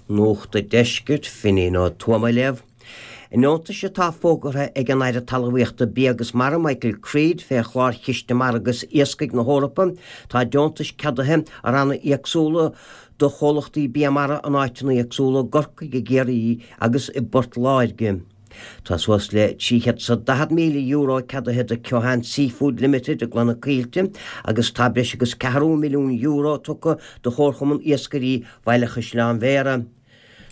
Nuacht an Deiscirt, Finín Ó Tuama ag léamh. I ndeontais atá fógartha ag an Aire Talmhaíochta, Bia agus Mara, Michael Creed, fé chlár Chiste Mara agus Iascaigh na hEorpa, tá deontais ceadaithe i ranna éagsúla do chomhlachtaí bia mara in áiteanna éagsúla i gCorcaigh, i gCiarraí agus i bPort Láirge. Tá suas le €340,000 ceadaithe do Keohane Seafood Limited i gCloich na Coillte agus tá breis agus €250,000 tugtha do Chomharchumann Iascairí Bhaile Chaisleáin Bhéarra.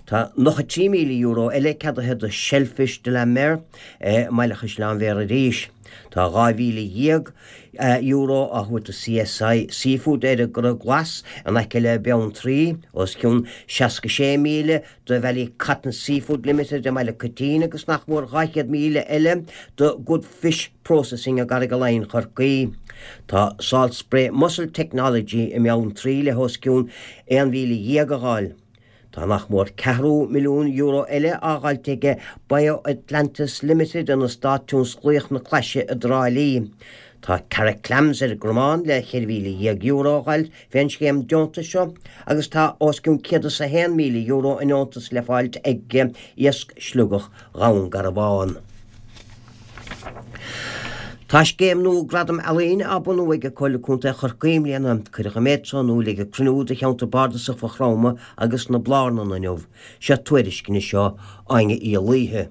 Tá €93,000 eile ceadaithe do Shellfish de la Mer i mBaile Chaisleáin Bhéarra arís. Tá €12,000 á thabhairt do CSI Seafood ar an gCora Glas in aice le Beanntraí, os cionn 66,000 do Ballycotton Seafood Limited i mBaile Coitín agus nach mór 200,000 eile do Good Fish Processing i gCarraig Laighin Chorcaí. Tá Salt Spray Mussel Technology i mBeanntraí le os cionn 11,000 a dh'fháil. Tá nach mór €250,000 eile á dh'fháilt aige BioAtlantis Limited in Eastát Tionsclaíoch na Claise i dTrá Lí. Tá Carrick Clams ar an gCromán le €14,000 a dh'fháil fén scéim deontais seo agus tá os cionn €101,000 i ndeontas le fáilt ag Iasc Sliogach Dhún Garbhán. Tá scéim nua Gradam Ealaíne á bunú ag Comhairle Contae Chorcaí i mbliana. Cuireadh an méid so in iúl ag cruinniú de Cheantar Bardasach Mhaigh Chromtha agus na Blarnan inniu. Seo tuairisc anois ó Áine Uí Laoithe.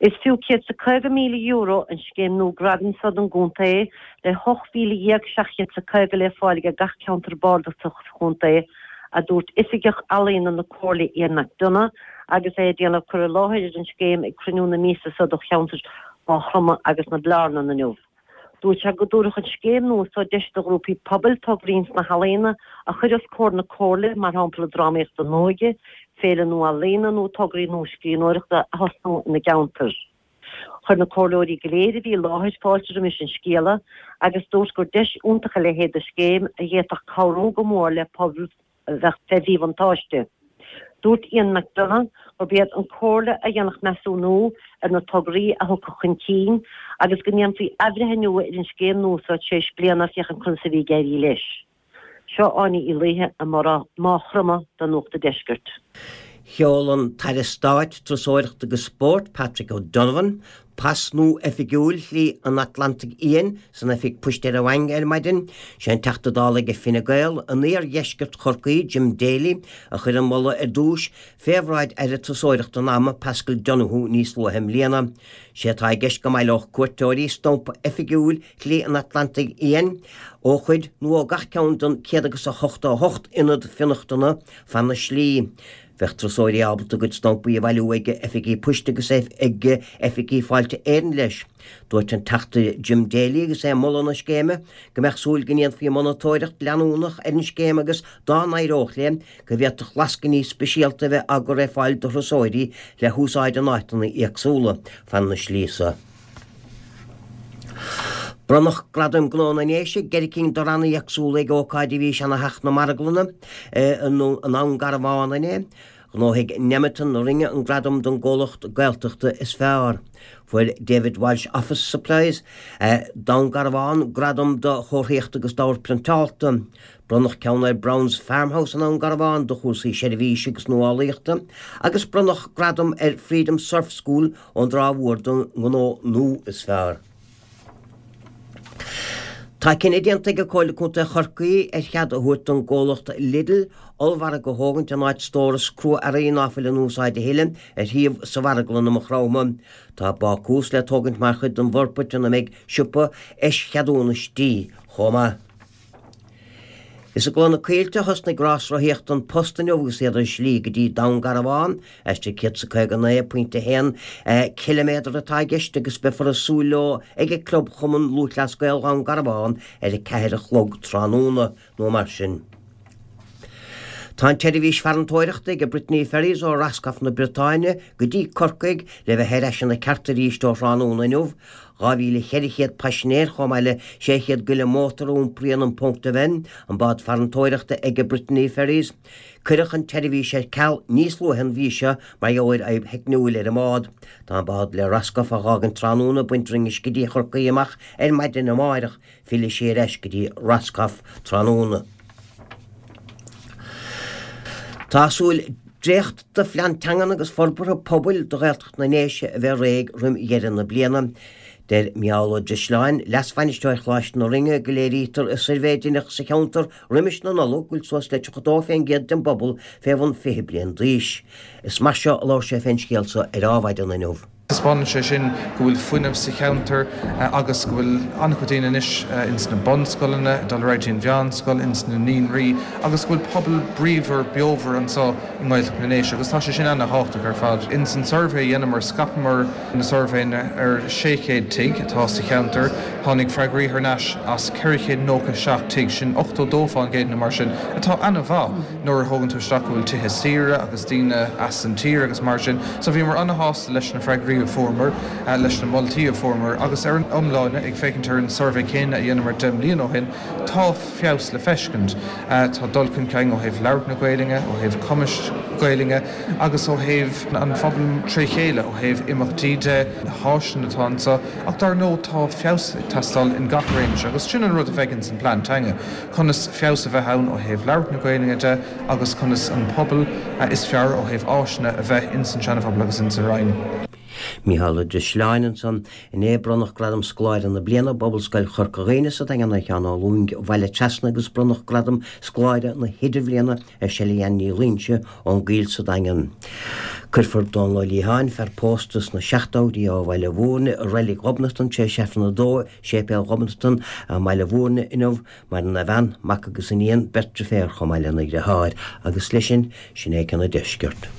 Is fiú €150,000 an scéim nua gradaim so don gcontae, le 18,750 le fáil aige gach ceantar bardasach sa chontae, a dúirt Oifigeach Ealaíona na Comhairle Ian McDonagh agus é ag déanamh cur i láthair ar an scéim ag cruinniú na míosa so do cheantar Mhaigh Chromtha agus na Blarnan inniu. Dúirt sé go dtabharfadh an scéim nua so deis do ghrúpaí pobail tograí sna healaíona a chur os comhair na Comhairle, mar shampla drámaíocht don óige, féile nua ealaíona nó tograí nua scríbhneoireachta a thosnú ina gceantar. Chuir na comhairleoirí go léir a bhí i láthair fáilte roimis an scéala agus dúirt gur deis iontach a leithéid de scéim a d'fhéadfadh cabhrú go mór le pobail a bheadh fé mhíbhuntáiste. Dúirt Ian McDonagh gurb iad an Comhairle a dhéanfadh measúnú ar na tograí a thiocfadh chun cinn agus go ndéanfaí athbhreithniú ar an scéim nua seo tar éis bliana féachaint conas a bhí ag éirí leis. Seo Áine Uí Laoithe i Maigh Chromtha do Nuacht an Deiscirt. Sheol an tAire Stáit Turasóireachta agus Spóirt, Patrick O'Donovan, pas nua oifigiúil Shlí an Atlantaigh Fhiáin san oifig poist ar an Mhaing ar maidin. Sé an Teachta Dála ag Fine Gael in iardheisceart Chorcaí, Jim Daly, a chuir an moladh ar dtús fé bhráid Aire Turasóireachta an ama, Paschal Donohoe, níos luaithe i mbliana. Sé atá i gceist go mbaileodh cuairteoirí stampa oifigiúil Shlí an Atlantaigh Fhiáin ó chuid nó ó gach ceann den 188 ionad fionnachtana fan na slí. Bheadh turasóirí ábalta a gcuid stampaí a bhailiú ag oifigí poist agus ag oifigí Fáilte Éireann leis. Dúirt an Teachta Jim Daly agus é ag moladh na scéime go mbeadh súil go ndéanfaí monatóireacht leanúnach ar an scéim agus dá n-éireodh léi go bhféadfadh lascainí speisialta a bheith á gcur ar fáil do thurasóirí le húsáid in áiteanna éagsúla fan na slí so. Bronnadh Gradaim Gnó na nDéise i gceithre cinn de ranna éagsúla ag ócáid a bhí i Seana-Theach na Marglainne i nDún Garbhán inné. Ghnóthaigh Nemeton na Rinne an gradam don gcomhlacht Gaeltachta is fearr. Fuair David Walsh Office Supplies, Dún Garbhán, gradam do chomharthaíocht agus d'ábhar priontáilte. Bronnadh ceann ar Browne's Farmhouse i nDún Garbhán do chúrsaí seirbhíse agus nuálaíochta agus bronnadh gradam ar Freedom Surf School ón dTrá Mhór don ngnó nua is fearr. Tá cinneadh déanta ag Comhairle Contae Chorcaí ar chead a thabhairt don gcomhlacht Lidl ollmhargadh a thógaint in áit stóras crua-earraí ná fuil in úsáid a thuilleadh ar shuíomh sa Mharglann i Maigh Chromtha. Tá bácús le tógaint mar chuid den bhforbairt ina mbeidh siopa eischeadúnais dí chomh maith. Is i gCloich na Coillte a thosnaigh rás rothaíochta An Post inniu agus iad ar a slí go dtí Dún Garbhán. Aistear 159.1 ciliméadar atá i gceist agus beifear ag súil leo ag Club Chumann Lúthchleas Gael Dhún Garbhán ar a 4 a chlog tráthnóna nó mar sin. Tá an tseirbhís farantóireachta ag Brittany Ferries ó Roscoff na Briotáine go dtí Corcaigh le bheith ar ais ina ceart arís ó thráthnóna inniu. 2,400 paisinéir chomh maith le 600 goile mótar a iompraíonn an Pont Aven, an bád farantóireachta ag Brittany Ferries. Cuireadh an tseirbhís ar ceal níos luaithe an mhí seo mar gheall ar fhadhb theicniúil ar an mbád. Tá an bád le Roscoff a dh'fhágaint tráthnóna ag baint droim uisce go dtí Chorcaí amach ar maidin amáireach. Fillfidh sí ar ais go dtí Roscoff tráthnóna. Tá súil. Dréacht de Phlean Teangan agus Forbartha Pobail do Ghaeltacht na nDéise a bheith réidh roim dheireadh na bliana. Deir Micheál Ó Drisleáin, Leas-Bhainisteoir Choláiste na Rinne, go léirítear i suirbhé a deineadh sa cheantar roimis na Nollag go bhfuil suas le 32 fén gcéad den bpobal fé bhun 20 bliain d'aois. Is mar seo a labhair sé fén scéal so ar Adhmhaidin inniu. Taispeánann sé sin go bhfuil fuinneamh sa cheantar agus go bhfuil an-chuid daoine anois ins na bunscoileanna, ag dul ar aghaidh dtí an mheánscoil, ins na naíonraí agus go bhfuil pobal bríomhar, beomhar anseo i nGaeltacht na nDéise agus tá sé sin ana-thábhachtach ar fad. Ins an suirbhé a dheineamar, scaipeamar na suirbhéanna ar 600 tigh atá sa cheantar, tháinig freagraí thar n-ais as 497 tigh, sin 82 fán gcéad nó mar sin, atá ana-mhaith. nuair a thógann tú isteach go bhfuil tithe saoire agus daoine as an tír agus mar sin. So bhíomar an-shásta leis na freagraí a fuaireamar, leis na moltaí a fuaireamar agus ar an iomláine, ag féachaint ar an suirbhé céanna a dheineamar 10 mbliana ó shin, tá feabhas le feiscint. Tá dul chun cinn ó thaobh labhairt na Gaelainne, ó thaobh cumais Gaelainne agus ó thaobh an phobail tré chéile, ó thaobh imeachtaí de, na háiseanna atá anseo ach dar ndóigh tá feabhas ag teastáil in gach réimse agus sin an rud a bheidh ins an plean teanga. conas feabhas a bheith ann ó thaobh labhairt na Gaelainne de agus conas an pobal is fearr ó thaobh áiseanna a bheith ins an Seana-Phobal agus ins an Rinn. Micheál Ó Drisleáin ansan. Inné bronnadh Gradam Scoláire na Bliana i bPobalscoil Chorca Dhuibhne sa Daingean ar Sheán Ó Lúing ó Bhaile Trasna agus bronnadh Gradam Scoláire na hIdirbhliana ar Shelley Ann Ní Loingsigh ón gCoill sa Daingean. Cuirfear Dónal Ó Liatháin, fear pósta sna seachtóidí ó Bhaile Mhúirne, i Reilig Ghobnatan tar éis Aifreann a dó i Séipéal Ghobnatan i mBaile Mhúirne inniu. Maireann a bhean, mac agus iníon, beirt driféar chomh maith lena dhriotháir. Agus leis sin, sin é ceann an deiscirt.